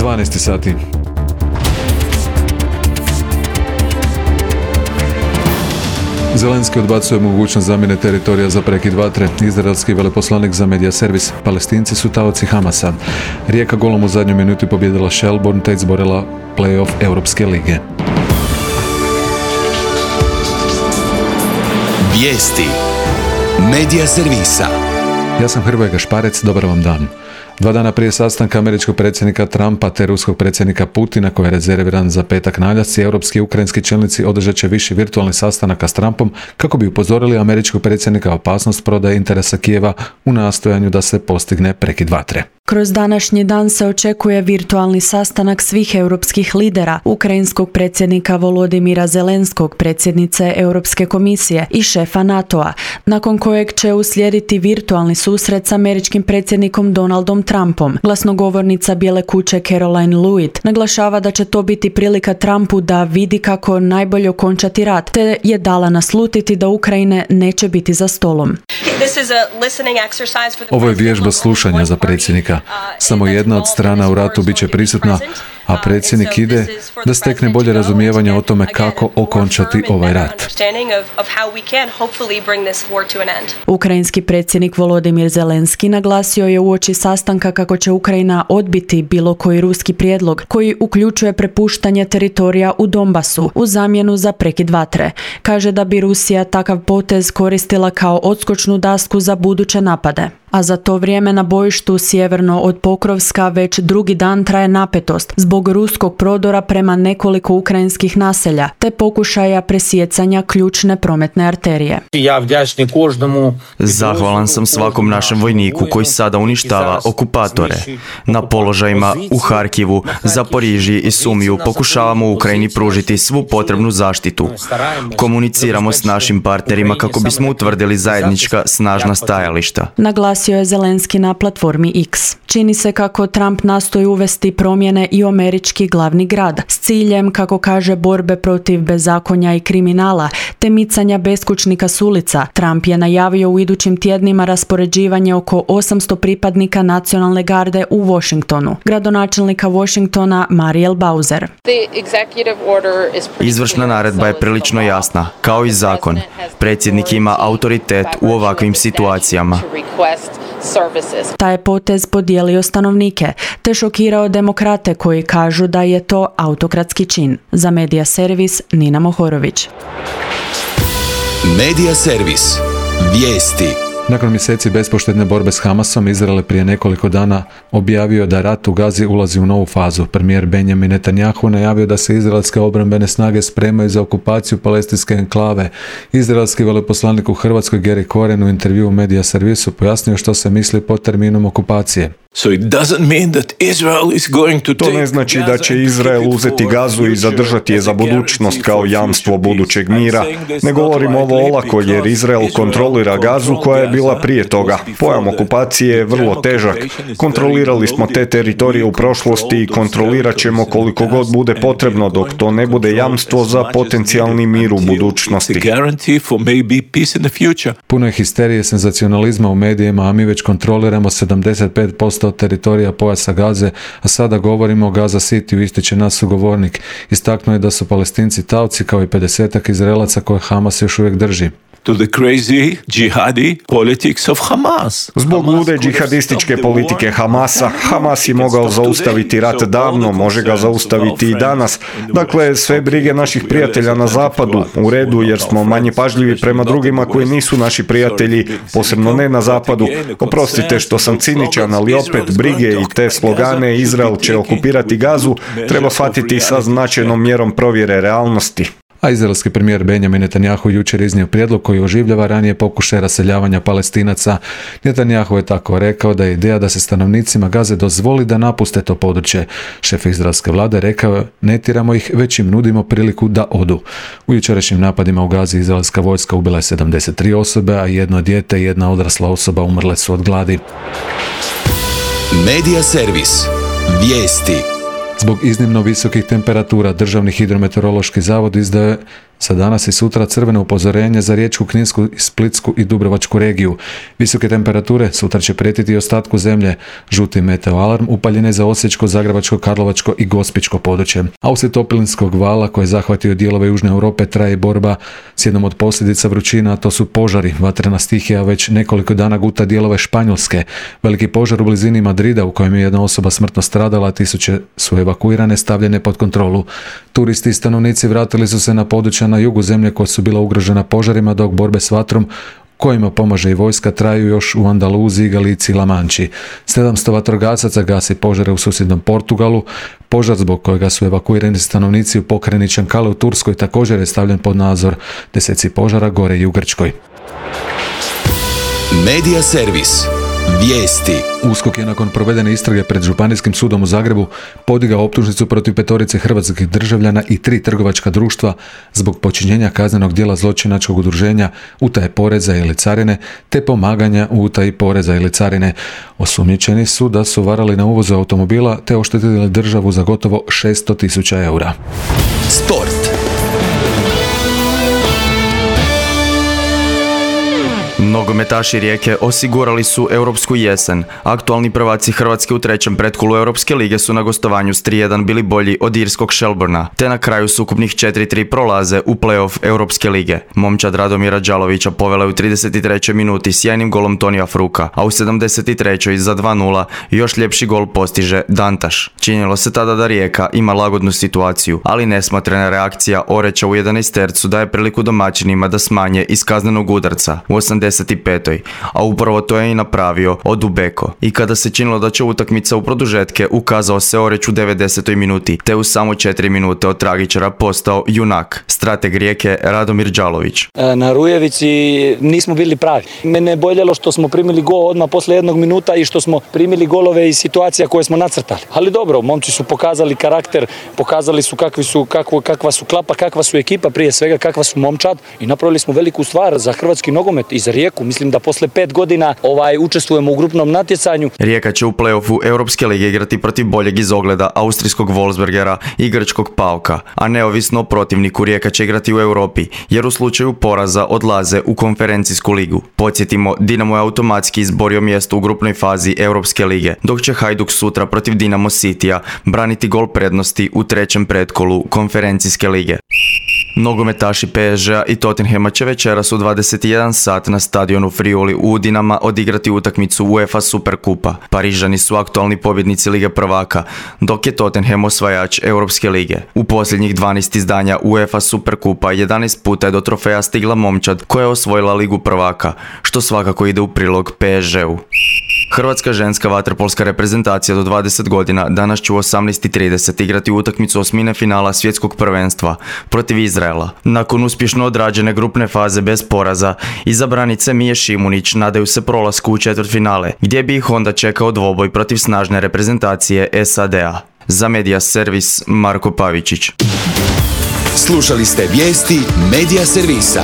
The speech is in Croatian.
12 sati. Zelenski odbacuje mogućnost zamjene teritorija za prekid vatre. Izraelski veleposlanik za medija servis. Palestinci su taoci Hamasa. Rijeka golom u zadnjoj minuti pobjedila Shelbourne te izborila play-off Europske lige. Vijesti medija servisa. Ja sam Hrvoje Gašparec, dobar vam dan. 2 dana prije sastanka američkog predsjednika Trumpa te ruskog predsjednika Putina, koji je rezerviran za petak navečer, europski i ukrajinski čelnici održat će više virtualnih sastanaka s Trumpom kako bi upozorili američkog predsjednika opasnost prodaje interesa Kijeva u nastojanju da se postigne prekid vatre. Kroz današnji dan se očekuje virtualni sastanak svih europskih lidera, ukrajinskog predsjednika Volodimira Zelenskog, predsjednice Europske komisije i šefa NATO-a, nakon kojeg će uslijediti virtualni susret s američkim predsjednikom Donaldom Trumpom. Glasnogovornica Bijele kuće Caroline Lewitt naglašava da će to biti prilika Trumpu da vidi kako najbolje okončati rat, te je dala naslutiti da Ukrajine neće biti za stolom. Ovo je vježba slušanja za predsjednika. Samo jedna od strana u ratu bit će prisutna, a predsjednik ide da stekne bolje razumijevanje o tome kako okončati ovaj rat. Ukrajinski predsjednik Volodimir Zelenski naglasio je uoči sastanka kako će Ukrajina odbiti bilo koji ruski prijedlog koji uključuje prepuštanje teritorija u Donbasu u zamjenu za prekid vatre. Kaže da bi Rusija takav potez koristila kao odskočnu dasku za buduće napade. A za to vrijeme na bojištu sjeverno od Pokrovska već drugi dan traje napetost zbog ruskog prodora prema nekoliko ukrajinskih naselja te pokušaja presijecanja ključne prometne arterije. Zahvalan sam svakom našem vojniku koji sada uništava okupatore. Na položajima u Harkivu, Zaporižiji i Sumiju pokušavamo Ukrajini pružiti svu potrebnu zaštitu. Komuniciramo s našim partnerima kako bismo utvrdili zajednička snažna stajališta. Naglasio je Zelenski na platformi X. Čini se kako Trump nastoji uvesti promjene i u američki glavni grad s ciljem, kako kaže, borbe protiv bezakonja i kriminala te micanja beskućnika s ulica. Trump je najavio u idućim tjednima raspoređivanje oko 800 pripadnika nacionalne garde u Washingtonu. Gradonačelnika Washingtona Mariel Bowser. Izvršna naredba je prilično jasna, kao i zakon. Predsjednik ima autoritet u ovakvim situacijama. Taj je potez podijelio stanovnike, te šokirao demokrate koji kažu da je to autokratski čin. Za Medija servis Nina Mohorović. Medija servis. Vijesti. Nakon mjeseci bespoštedne borbe s Hamasom, Izrael je prije nekoliko dana objavio da rat u Gazi ulazi u novu fazu. Premijer Benjamin Netanjahu najavio da se izraelske obrambene snage spremaju za okupaciju palestinske enklave. Izraelski veleposlanik u Hrvatskoj Gary Koren u intervjuu u Medija servisu pojasnio što se misli pod terminom okupacije. To ne znači da će Izrael uzeti Gazu i zadržati je za budućnost kao jamstvo budućeg mira. Ne govorim ovo olako jer Izrael kontrolira Gazu koja je bila prije toga. Pojam okupacije je vrlo težak. Kontrolirali smo te teritorije u prošlosti i kontrolirat ćemo koliko god bude potrebno dok to ne bude jamstvo za potencijalni mir u budućnosti. Puno je histerije, senzacionalizma u medijima, a mi već kontroliramo 75% teritorija pojasa Gaze, a sada govorimo o Gaza Cityu, ističe naš sugovornik. Istaknuo je da su Palestinci taoci kao i 50-ak Izraelaca koje Hamas još uvijek drži. Zbog lude džihadističke politike Hamasa, Hamas je mogao zaustaviti rat davno, može ga zaustaviti i danas. Dakle, sve brige naših prijatelja na zapadu, u redu jer smo manje pažljivi prema drugima koji nisu naši prijatelji, posebno ne na zapadu. Oprostite što sam ciničan, ali opet brige i te slogane Izrael će okupirati Gazu treba shvatiti sa značajnom mjerom provjere realnosti. A izraelski premijer Benjamin Netanjahu jučer iznio prijedlog koji oživljava ranije pokušaje raseljavanja Palestinaca. Netanjahu je tako rekao da je ideja da se stanovnicima Gaze dozvoli da napuste to područje. Šef izraelske vlade rekao je: ne tiramo ih, već im nudimo priliku da odu. U jučerašnjim napadima u Gazi izraelska vojska ubila je 73 osobe, a jedno dijete i jedna odrasla osoba umrle su od gladi. Medija servis. Vijesti. Zbog iznimno visokih temperatura Državni hidrometeorološki zavod izdaje Za danas i sutra crveno upozorenje za Riječku, Kninsku, Splitsku i Dubrovačku regiju. Visoke temperature sutra će prijetiti i ostatku zemlje. Žuti meteo alarm upaljen je za Osječko, Zagrebačko, Karlovačko i Gospićko područje. A uslijed toplinskog vala koji je zahvatio dijelove Južne Europe traje borba s jednom od posljedica vrućina, a to su požari. Vatrena stihija već nekoliko dana guta dijelove Španjolske. Veliki požar u blizini Madrida u kojem je jedna osoba smrtno stradala, a tisuće su evakuirane, stavljene pod kontrolu. Turisti i stanovnici vratili su se na područja na jugu zemlje koja su bila ugrožena požarima, dok borbe s vatrom kojima pomaže i vojska traju još u Andaluziji, Galiciji i La Manči. 700 vatrogasaca gasi požare u susjednom Portugalu. Požar zbog kojega su evakuirani stanovnici u pokrajini Čankale u Turskoj također je stavljen pod nadzor. Deseci požara gore i u Grčkoj. Medija servis. Vijesti. USKOK je nakon provedene istrage pred Županijskim sudom u Zagrebu podigao optužnicu protiv 5 hrvatskih državljana i 3 trgovačka društva zbog počinjenja kaznenog djela zločinačkog udruženja, utaje poreza ili carine, te pomaganja u utaji poreza ili carine. Osumnjičeni su da su varali na uvozu automobila te oštetili državu za gotovo 600.000 eura. Sport. Nogometaši Rijeke osigurali su europsku jesen. Aktualni prvaci Hrvatske u trećem pretkolu Europske lige su na gostovanju s 3-1 bili bolji od irskog Shelbourna, te na kraju s ukupnih 4-3 prolaze u play-off Europske lige. Momčad Radomira Đalovića povela je u 33. minuti sjajnim golom Tonija Fruka, a u 73. za 2-0 još ljepši gol postiže Dantaš. Činilo se tada da Rijeka ima lagodnu situaciju, ali nesmotrena reakcija Oreča u 11. daje priliku domaćinima da smanje iz kaznenog udarca u 85. a upravo to je i napravio Odubeko. I kada se činilo da će utakmica u produžetke, ukazao se Oreć u 90. minuti, te u samo 4 minute od tragičara postao junak, strateg Rijeke Radomir Đalović. Na Rujevici nismo bili pravi. Mene je boljelo što smo primili gol odmah posle 1 minuta i što smo primili golove iz situacija koje smo nacrtali. Ali dobro, momci su pokazali karakter, pokazali su kakva su klapa, kakva su ekipa, prije svega kakva su momčad, i napravili smo veliku stvar za hrvatski nogomet i za Rijeku. Mislim da posle 5 godina učestvujemo u grupnom natjecanju. Rijeka će u play-offu Europske lige igrati protiv boljeg iz ogleda austrijskog Wolfsbergera i grčkog PAOK-a, a neovisno o protivniku Rijeka će igrati u Europi, jer u slučaju poraza odlaze u konferencijsku ligu. Podsjetimo, Dinamo je automatski izborio mjesto u grupnoj fazi Europske lige, dok će Hajduk sutra protiv Dinamo Citya braniti gol prednosti u trećem pretkolu konferencijske lige. Nogometaši PSG-a i Tottenhama će večeras u 21 sat na stadionu Friuli u Udinama odigrati utakmicu UEFA Superkupa. Parižani su aktualni pobjednici Lige prvaka, dok je Tottenham osvajač Europske lige. U posljednjih 12 izdanja UEFA Superkupa 11 puta je do trofeja stigla momčad koja je osvojila Ligu prvaka, što svakako ide u prilog PSG-u. Hrvatska ženska vaterpolska reprezentacija do 20 godina danas će u 18:30 igrati utakmicu osmine finala svjetskog prvenstva protiv Izraela. Nakon uspješno odrađene grupne faze bez poraza, izabranice Mije Šimunić nadaju se prolasku u četvrtfinale, gdje bi ih onda čekao dvoboj protiv snažne reprezentacije SAD-a. Za Medija servis Marko Pavičić. Slušali ste vijesti Medija servisa.